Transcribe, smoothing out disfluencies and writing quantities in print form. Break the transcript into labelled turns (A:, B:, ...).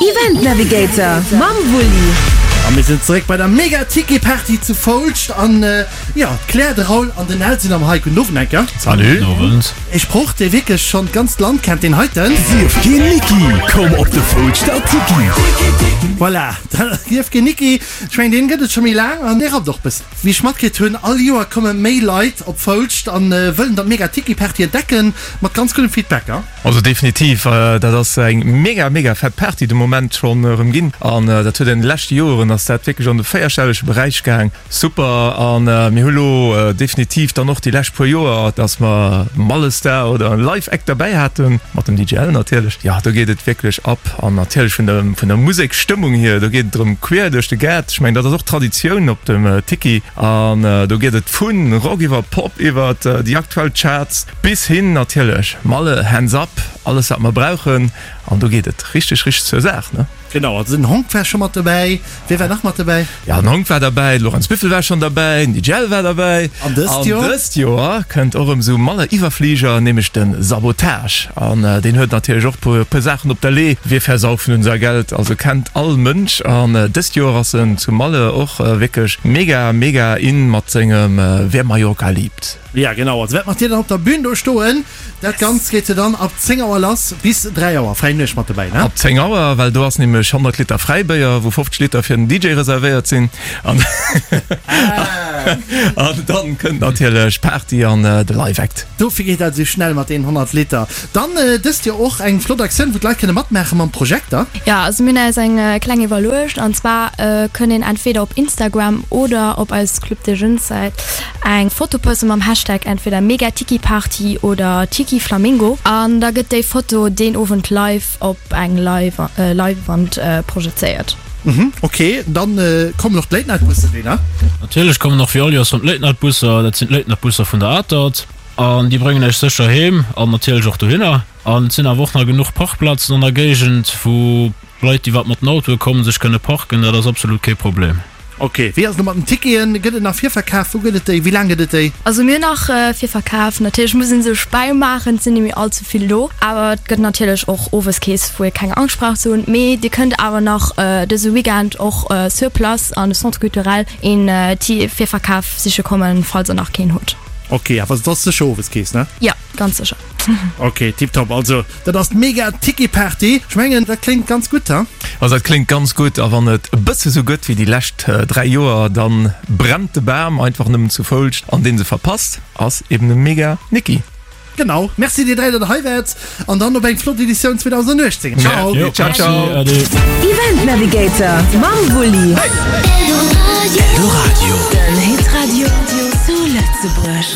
A: Event Navigator mam Wulli.
B: A mir sinn zeréck bei der Mega Tiki Party zu Foulscht an jo, d'Claire, de Raoul an den Nel sinn am hei. Gudden Owend enker.
C: Salut. Gudden Owend.
B: Ee Sproch dee wierklech schonn d'ganzt Land kennt, deen heiten.
D: Sief keen Niki, komm op de Foulschter Tiki.
B: Voilà, Sief keen Niki. Ech mengen deen gëtt et scho méi laang an dee rappt och bëssen. Wéi ech matkritt hunn, all Joer komme méi Leit op Foulscht an wëllen dann d'Mega Tiki Party entdecken, mat ganz guddem Feedback.
C: Also definitiv, dat ass eng mega mega fett Party de Moment schonn erëm ginn an dat huet an de leschte Joeren ass dat wierklech an de véierstellege Beräich gaang. Super an mir hu lo definitiv dann och déi lescht puer Joer, dass mer Mallestar oder en Live Act derbäi haten, mat dem DJ L natierlech. Jo do geet et wierklech ab an natierlech vun der vun der Museksstëmmung hier, do geet et erëm queer duerch de Gaart. Ech mengen dat ass och Traditioun op dem Tiki an do geet et vu Rock iwwer Pop iwwer déi aktuell Charts. Bis hin natierlech Malle, Hands up, alles wat mer brauchen an do geet et richteg richteg zur Saach ne.
B: Genau, also den Honk war scho mat dobäi, wie war nach mat dobäi?
C: Jo den Honk war derbäi, de Laurence Biffel war schonn derbäi, den DJ L war derbäi
B: An dëst Joer?
C: An dëst Joer kënnt och erëm esou Malle Iwwerfliger, nämlech de Sabotage an deen huet natierlech och puer puer Saachen op der Lee, Wir versaufen unser Geld, also kennt all Mënsch an dëst Joer ass en zu Malle och wierklech mega mega in mat sengem Wer Mallorca liebt.
B: Ja genau, also wäert mat dir dann op der Bühn do stoen. Dat Ganzt geet jo dann ab 10 Auer lass bis 3 Auer, fräi Nuecht mat dobäi, ne?
C: Ab 10 Auer, well do ass nämlech 100 Liter Fräibéier, wou 50 Liter fir den DJ reservéiert sinn. An an dann kënnt natierlech Party an de Live Act.
B: Dofir geet dat esou schnell mat deenen 100 Liter. Dann dëst Joer och eng flott Aktioun, wou d'Leit kënne matmaache mam Projekter.
E: Jo, also mir hunn eis eng kleng iwwerluecht an zwar kënn een entweder op Instagram oder op eis Club des Jeunes Säit Eng Foto posten mam Hashtag entweder MegaTikiParty oder TikiFlamingo an da gëtt déi Foto deen Owend live op eng Leinwand projezéiert.
B: Mhm, ok, dann kommen och d'Late Night Bussen, wéi ne?
F: Natierlech kommen och wéi all Joers rëm d'Late Night Busser. Dat sinn d'Late Night Busser vun der Atert an déi bréngen iech sécher heem an natierlech och dohinner. An et sinn awer och nach genuch Parkplazen an der Géigend, wou Leit, déi wat mat den Autoe kommen, sech kënne parken. Dat ass absolut kee Problem.
B: Ok, wéi ass et elo mat den Ticketen? Gëtt et nach Virverkaf? Wou gëtt et déi? Wéi laang gëtt et déi?
E: Also mir hunn nach Virverkaf. Natierlech muss een sech bäimaachen, et sinn nemmi all ze vill do. Awer et gëtt natierlech och Oweskeess, wou ee keng Angscht brauch ze hunn. Mee dir kënnt awer nach dëse Weekend och sur place an de Centre culturel een Virverkaf siche kommen, falls der nach keen hutt.
B: Ok, awer et ass sécher Oweskeess, ne?
E: Jo, ganz sécher.
B: Ok, tiptop. Also dat ass d'Mega Tiki Party. Ech mengen dat kléngt ganz gutt, he?
C: Also dat kléngt ganz gutt a wann et e bësse sou gëtt wéi déi lescht 3 Joer, dann brennt de Bam einfach nëmmen zu Foulscht an deen se verpasst ass eben e Mega Niki.
B: Genau, merci dir 3 dat der hei waart an dann op eng flott Editioun 2018. Ciao!
C: Ciao ciao!
A: Event Navigator mam Wulli. Eldoradio, den Hitradio zu Lëtzebuerg.